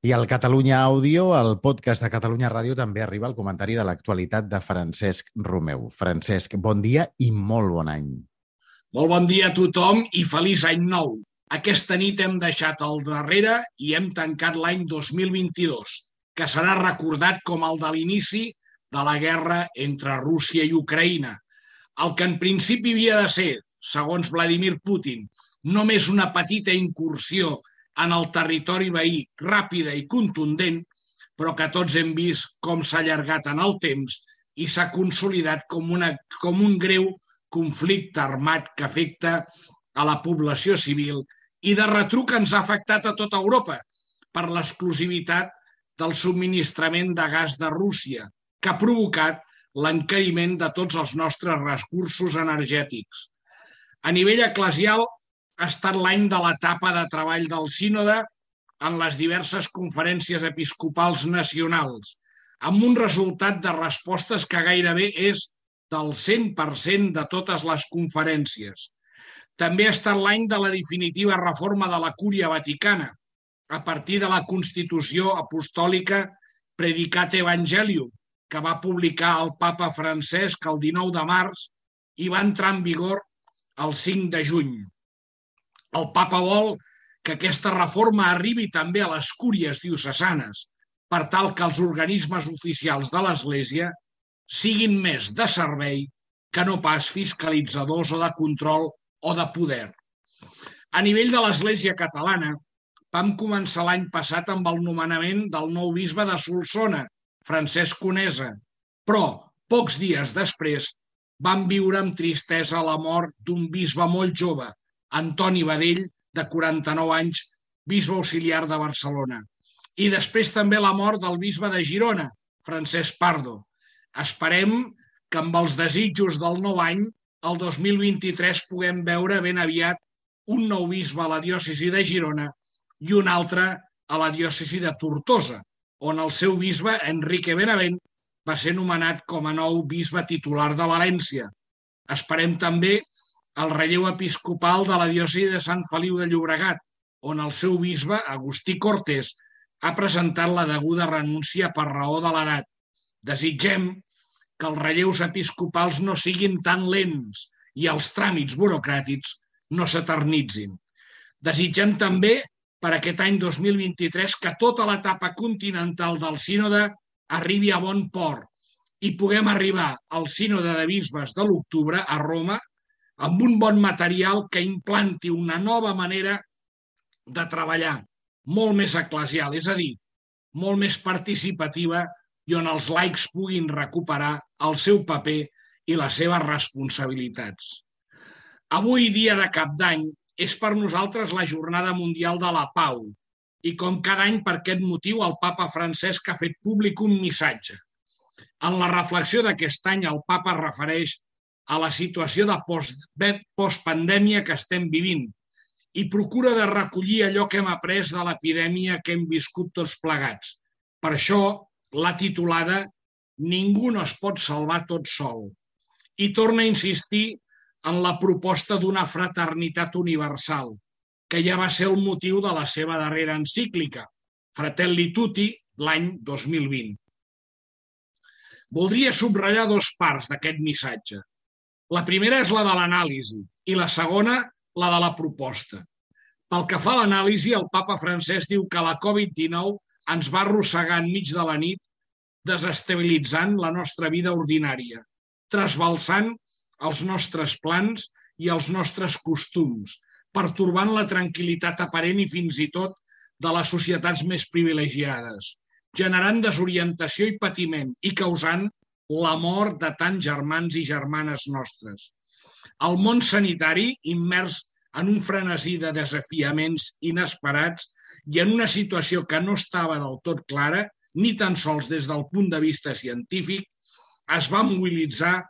I al Catalunya Àudio, el podcast de Catalunya Ràdio, també arriba el comentari de l'actualitat de Francesc Romeu. Francesc, bon dia i molt bon any. Molt bon dia a tothom i feliç any nou. Aquesta nit hem deixat al darrere i hem tancat l'any 2022, que serà recordat com el de l'inici de la guerra entre Rússia i Ucraïna. El que en principi havia de ser, segons Vladimir Putin, només una petita incursió en el territori veí ràpida i contundent, però que tots hem vist com s'ha allargat en el temps i s'ha consolidat com un greu conflicte armat que afecta a la població civil i de retruc ens ha afectat a tota Europa per l'exclusivitat del subministrament de gas de Rússia, que ha provocat l'encariment de tots els nostres recursos energètics. A nivell eclesial ha estat l'any de l'etapa de treball del sínode en les diverses conferències episcopals nacionals, amb un resultat de respostes que gairebé és del 100% de totes les conferències. També ha estat l'any de la definitiva reforma de la Cúria Vaticana, a partir de la Constitució Apostòlica Predicate Evangelium, que va publicar el papa Francesc el 19 de març i va entrar en vigor el 5 de juny. El papa vol que aquesta reforma arribi també a les cúries diocesanes, per tal que els organismes oficials de l'Església siguin més de servei que no pas fiscalitzadors o de control o de poder. A nivell de l'Església catalana, vam començar l'any passat amb el nomenament del nou bisbe de Solsona, Francesc Conesa, però pocs dies després vam viure amb tristesa la mort d'un bisbe molt jove, Antoni Badell, de 49 anys, bisbe auxiliar de Barcelona. I després també la mort del bisbe de Girona, Francesc Pardo. Esperem que amb els desitjos del nou any, el 2023 puguem veure ben aviat un nou bisbe a la diòcesi de Girona i un altre a la diòcesi de Tortosa, on el seu bisbe, Enrique Benavent, va ser nomenat com a nou bisbe titular de València. Esperem també el relleu episcopal de la diòcesi de Sant Feliu de Llobregat, on el seu bisbe, Agustí Cortés, ha presentat la deguda renúncia per raó de l'edat. Desitgem que els relleus episcopals no siguin tan lents i els tràmits burocràtics no s'eternitzin. Desitgem també per aquest any 2023 que tota l'etapa continental del sínode arribi a bon port i puguem arribar al sínode de bisbes de l'octubre a Roma amb un bon material que implanti una nova manera de treballar, molt més eclesial, és a dir, molt més participativa i on els laics puguin recuperar el seu paper i les seves responsabilitats. Avui, dia de Cap d'Any, és per nosaltres la Jornada Mundial de la Pau i com cada any per aquest motiu el papa Francesc ha fet públic un missatge. En la reflexió d'aquest any el papa es refereix a la situació de postpandèmia que estem vivint i procura de recollir allò que hem après de l'epidèmia que hem viscut tots plegats. Per això l'ha titulada Ningú no es pot salvar tot sol i torna a insistir en la proposta d'una fraternitat universal, que ja va ser el motiu de la seva darrera encíclica, Fratelli Tutti, l'any 2020. Voldria subratllar dos parts d'aquest missatge. La primera és la de l'anàlisi i la segona la de la proposta. Pel que fa a l'anàlisi, el papa Francesc diu que la Covid-19 ens va arrossegar enmig de la nit, desestabilitzant la nostra vida ordinària, trasbalsant els nostres plans i els nostres costums, pertorbant la tranquil·litat aparent i fins i tot de les societats més privilegiades, generant desorientació i patiment i causant la mort de tants germans i germanes nostres. El món sanitari, immers en un frenesí de desafiaments inesperats i en una situació que no estava del tot clara, ni tan sols des del punt de vista científic, es va mobilitzar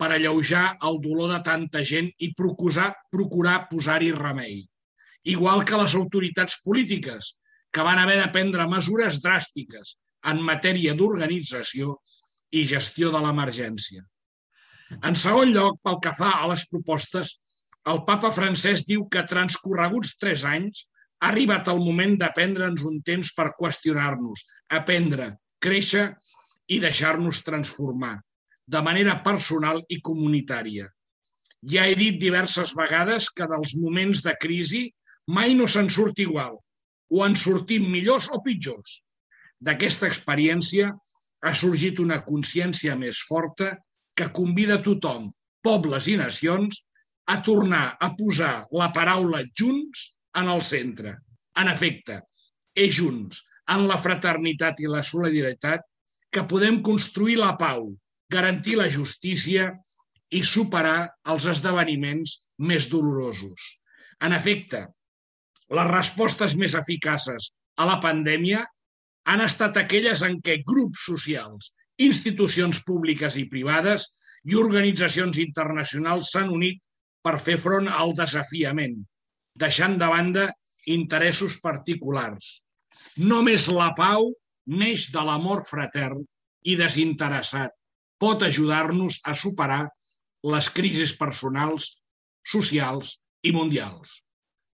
per alleujar el dolor de tanta gent i procurar posar-hi remei. Igual que les autoritats polítiques, que van haver de prendre mesures dràstiques en matèria d'organització i gestió de l'emergència. En segon lloc, pel que fa a les propostes, el papa Francesc diu que transcorreguts 3 anys Ha arribat el moment de prendre'ns un temps per qüestionar-nos, aprendre, créixer i deixar-nos transformar, de manera personal i comunitària. Ja he dit diverses vegades que dels moments de crisi mai no se'n surt igual, o en sortim millors o pitjors. D'aquesta experiència ha sorgit una consciència més forta que convida tothom, pobles i nacions, a tornar a posar la paraula junts en el centre. En efecte, és junts, en la fraternitat i la solidaritat, que podem construir la pau, garantir la justícia i superar els esdeveniments més dolorosos. En efecte, les respostes més eficaces a la pandèmia han estat aquelles en què grups socials, institucions públiques i privades i organitzacions internacionals s'han unit per fer front al desafiament, deixant de banda interessos particulars. Només la pau neix de l'amor fratern i desinteressat. Pot ajudar-nos a superar les crisis personals, socials i mundials.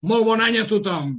Molt bon any a tothom!